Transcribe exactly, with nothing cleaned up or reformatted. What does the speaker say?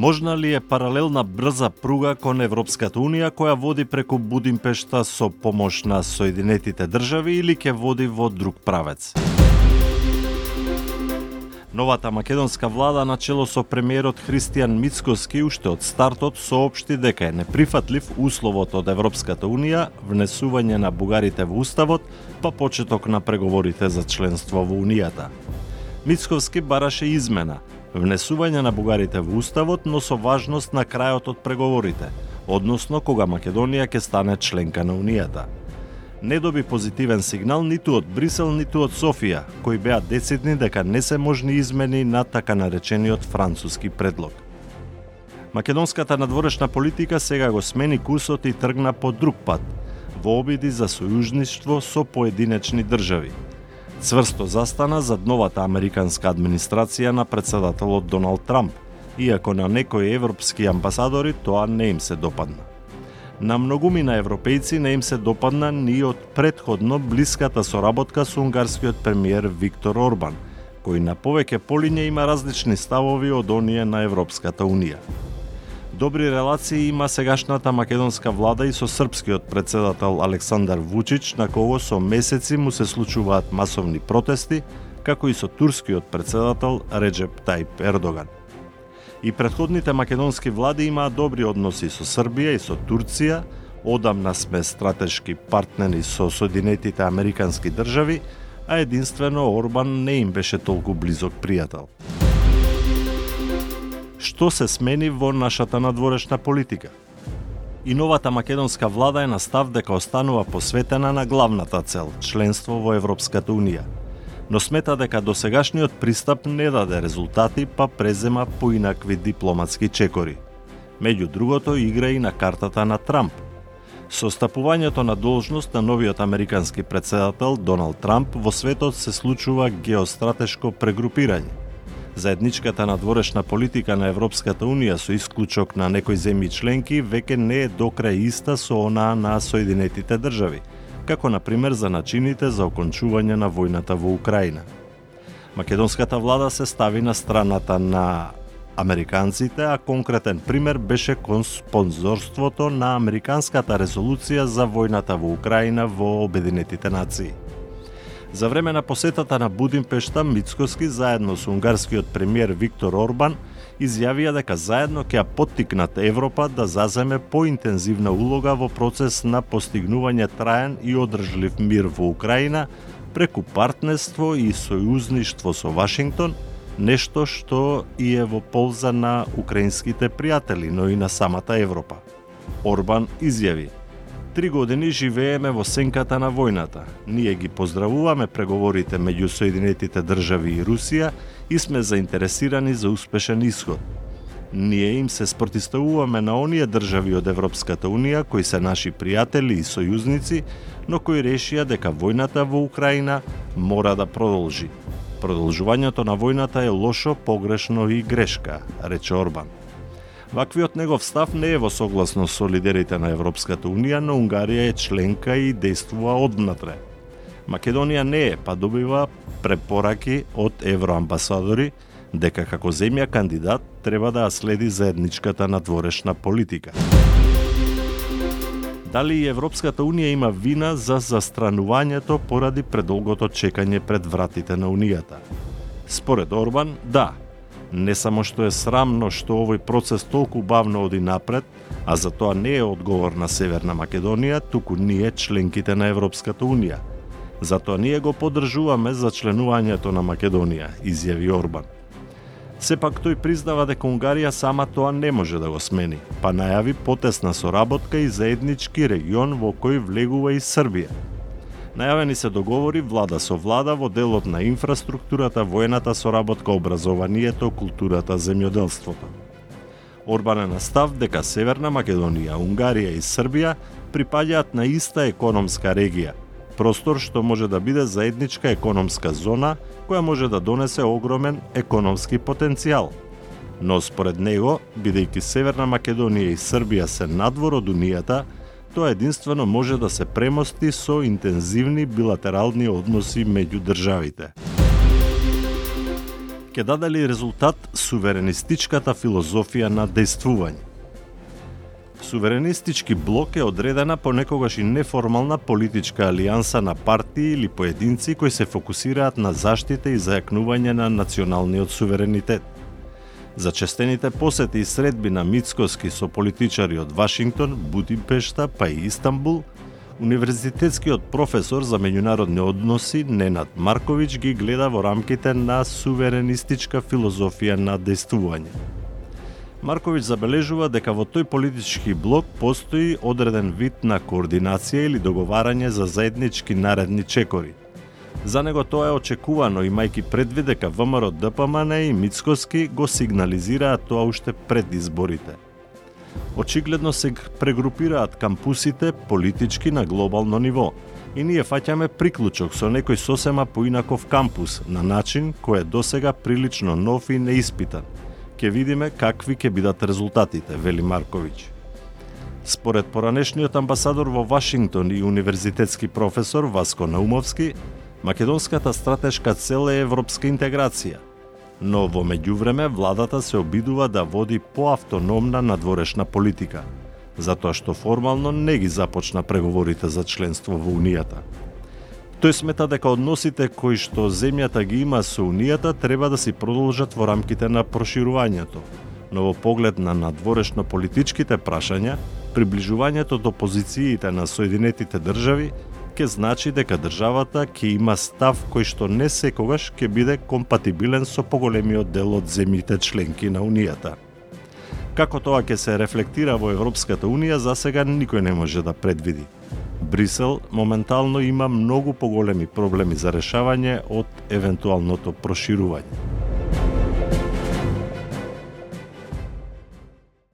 Можна ли е паралелна брза пруга кон Европската Унија која води преку Будимпешта со помош на Соединетите држави или ќе води во друг правец? Новата македонска влада на чело со премиерот Христијан Мицкоски уште од стартот соопшти дека е неприфатлив условот од Европската Унија внесување на бугарите во уставот па почеток на преговорите за членство во Унијата. Мицковски бараше измена, внесување на бугарите во уставот, но со важност на крајот од преговорите, односно кога Македонија ќе стане членка на Унијата. Не доби позитивен сигнал ниту од Брисел, ниту од Софија, кои беа децидни дека не се можни измени на така наречениот француски предлог. Македонската надворешна политика сега го смени курсот и тргна по друг пат, во обиди за сојужништво со поединечни држави. Цврсто застана зад новата американска администрација на претседателот Доналд Трамп, иако на некои европски амбасадори тоа не им се допадна. На многумина европејци не им се допадна ни од претходно блиската соработка со унгарскиот премиер Виктор Орбан, кој на повеќе полиња има различни ставови од оние на Европската Унија. Добри релации има сегашната македонска влада и со српскиот претседател Александар Вучич, на кого со месеци му се случуваат масовни протести, како и со турскиот претседател Реджеп Тајип Ердоган. И претходните македонски влади имаат добри односи со Србија и со Турција, одамна сме стратешки партнери со Соединетите Американски држави, а единствено Орбан не им беше толку близок пријател. Што се смени во нашата надворешна политика? И новата македонска влада е на став дека останува посветена на главната цел – членство во Европската Унија. Но смета дека досегашниот пристап не даде резултати, па презема поинакви дипломатски чекори. Меѓу другото, игра и на картата на Трамп. Со стапувањето на должност на новиот американски претседател Доналд Трамп во светот се случува геостратешко прегрупирање. Заедничката надворешна политика на Европската Унија со исклучок на некои земји членки веќе не е докрај иста со онаа на Соединетите држави, како на пример за начините за окончување на војната во Украина. Македонската влада се стави на страната на американците, а конкретен пример беше кон спонзорството на американската резолуција за војната во Украина во Обединетите нации. За време на посетата на Будимпешта, Мицкоски заедно со унгарскиот премиер Виктор Орбан изјавија дека заедно ќе ја поттикнат Европа да заземе поинтензивна улога во процес на постигнување траен и одржлив мир во Украина преку партнерство и сојузништво со Вашингтон, нешто што и е во полза на украинските пријатели, но и на самата Европа. Орбан изјави: Три години живееме во сенката на војната. Ние ги поздравуваме преговорите меѓу Соединетите држави и Русија и сме заинтересирани за успешен исход. Ние им се спротивставуваме на оние држави од Европската Унија кои се наши пријатели и сојузници, но кои решија дека војната во Украина мора да продолжи. Продолжувањето на војната е лошо, погрешно и грешка, рече Орбан. Ваквиот негов став не е во согласност со лидерите на Европската Унија, но Унгарија е членка и действува одвнатре. Македонија не е, па добива препораки од евроамбасадори дека како земја кандидат треба да ја следи заедничката надворешна политика. Дали и Европската Унија има вина за застранувањето поради предолгото чекање пред вратите на Унијата? Според Орбан, да. Не само што е срамно што овој процес толку бавно оди напред, а за тоа не е одговор на Северна Македонија, туку ние членките на Европската Унија. Затоа ние го поддржуваме за членувањето на Македонија, изјави Орбан. Сепак тој признава дека Унгарија сама тоа не може да го смени, па најави потесна соработка и заеднички регион во кој влегува и Србија. Најавени се договори влада со влада во делот на инфраструктурата, воената соработка, образованието, културата, земјоделството. Орбан е на став дека Северна Македонија, Унгарија и Србија припаѓаат на иста економска регија, простор што може да биде заедничка економска зона која може да донесе огромен економски потенцијал. Но според него, бидејќи Северна Македонија и Србија се надвор од Унијата, тоа единствено може да се премости со интензивни билатерални односи меѓу државите. ќе даде ли резултат суверенистичката филозофија на дејствување? Суверенистички блок е одредена понекогаш и неформална политичка алијанса на партии или поединци кои се фокусираат на заштита и зајакнување на националниот суверенитет. Зачестените посети и средби на Мицкоски со политичари од Вашингтон, Будимпешта па и Истанбул, универзитетскиот професор за меѓународни односи Ненад Марковиќ ги гледа во рамките на суверенистичка филозофија на дејствување. Марковиќ забележува дека во тој политички блок постои одреден вид на координација или договарање за заеднички наредни чекори. За него тоа е очекувано, имајќи предвид дека ВМРО-ДПМН и Мицкоски го сигнализираат тоа уште пред изборите. Очигледно се прегрупираат кампусите политички на глобално ниво и ние фаќаме приклучок со некој сосема поинаков кампус на начин кој е досега прилично нов и неиспитан. Ке видиме какви ќе бидат резултатите, вели Марковиќ. Според поранешниот амбасадор во Вашингтон и универзитетски професор Васко Наумовски, македонската стратешка цел е европска интеграција, но во меѓувреме владата се обидува да води поавтономна надворешна политика, затоа што формално не ги започна преговорите за членство во Унијата. Тој смета дека односите кои што земјата ги има со Унијата треба да си продолжат во рамките на проширувањето, но во поглед на надворешно политичките прашања, приближувањето до позициите на Соединетите држави ќе значи дека државата ќе има став кој што не секогаш ќе биде компатибилен со поголемиот дел од земјите членки на Унијата. Како тоа ќе се рефлектира во Европската Унија, засега никој не може да предвиди. Брисел моментално има многу поголеми проблеми за решавање од евентуалното проширување.